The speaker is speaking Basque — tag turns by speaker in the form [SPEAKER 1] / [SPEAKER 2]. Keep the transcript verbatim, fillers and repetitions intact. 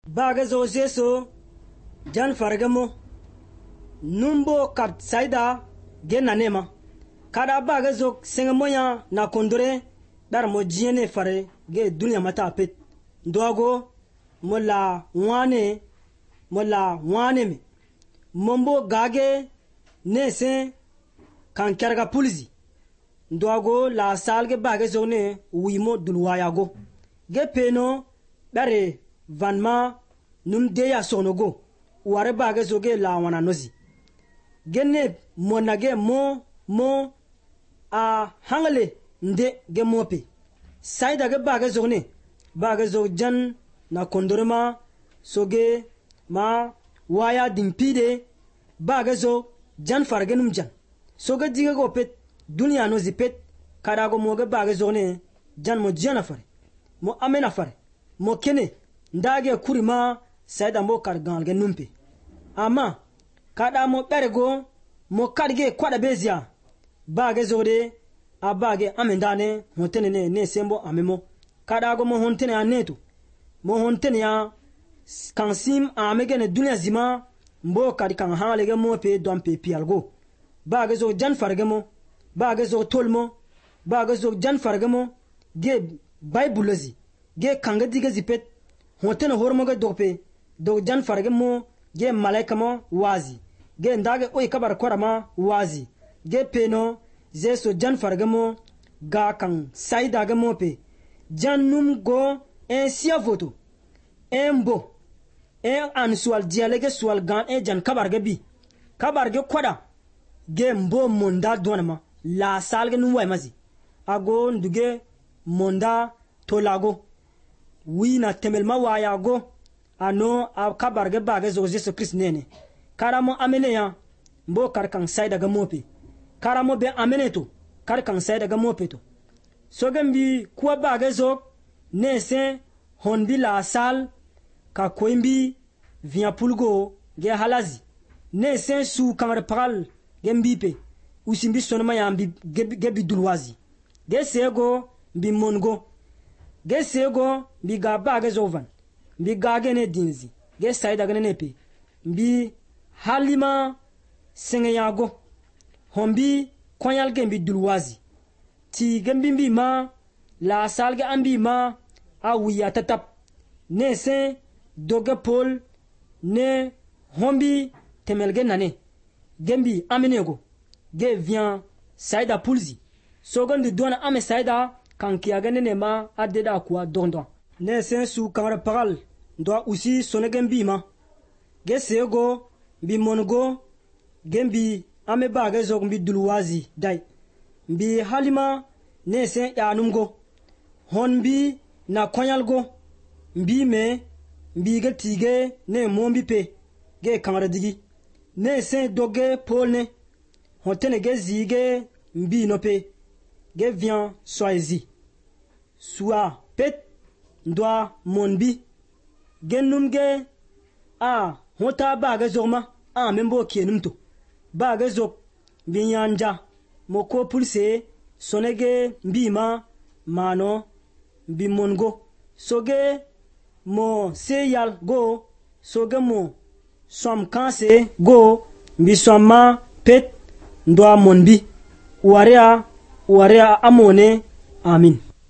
[SPEAKER 1] Baga zo zeso jan fargamo numbo kat saida gena nema kada baga zo sengamoya na kondore dar mo jiene fare ge dunya mata pet ndoago mola wane mola wane me mombo gage nese kan karga pulzi ndoago la salge baga zo ne wimo dulwayago ge peno dare vanma num deya sonogo ware baga zoge la wana nozi genne monage mo mo a hangle nde ge mope saida ge baga zogne baga zo jan na kondorma soge ma waya dimpide baga zo jan fargenum jan soge diga go pet dunya nozi pet kadago moge baga zogne jan mo jana fare mo amena fare mo kene ndage kurima saida mo kar galge numpe ama kada mo berego mo karge kwada bezia bage zode abage amendane hontene ne ne sembo amemo kada go mo hontene anetu mo hontene ya kansim amege ne dunya zima mbo kadi kan halege mo pe dompe pialgo bage zo jan fargemo bage zo tolmo bage zo jan fargemo ge baibulozi ge kanga diga zipet hontene hormoge dope do jan fargemo ge malaika mo wazi ge ndage oy kabar korama wazi ge peno zeso jan fargemo ga kan saida ga mope jannum go en sia voto embo en an sual dialege sual gan e jan kabar ga bi kabar ge koda ge mbo monda donama la salge nu way mazi ago nduge monda tolago wina temelma wayago ano a kabarge bage zo Jesu Christ nene karamo amene ya mbo karkan saida ga mope karamo be amene to karkan saida ga mope to sogembi kuwa bage zo nese honbi la sal ka koimbi via pulgo ge halazi nese su kamar paral gembipe usimbi sonoma ya mbi gebi dulwazi ge sego bi mongo ge sego bi ga bage zovan bi gage ne dinzi ge saida gane nepe bi halima sengeyago hombi kwanyal gembi dulwazi ti gembi bi ma la salge ambi ma awiya tatap ne se doge pol ne hombi temelge nane gembi amenego ge vient saida pulzi sogon de dona ame saida kan kiagane ne ma adeda kwa dondon ne sen su kamara pagal ndo usi sonegen bi ma ge sego bi mongo gembi ame baga zog bi dulwazi dai bi halima ne sen yanumgo honbi na konyalgo mbi me mbi ge tige ne mombi pe ge kamara digi ne sen doge polne hontene ge zige mbi no pe ge vient soizi soit pet ndwa monbi genumge a hota baga zoma a membo kenumto baga zok binyanja moko pulse sonege mbima mano bimongo soge mo seyal go soge mo som kanse go bisoma pet ndwa monbi warea warea amone amin.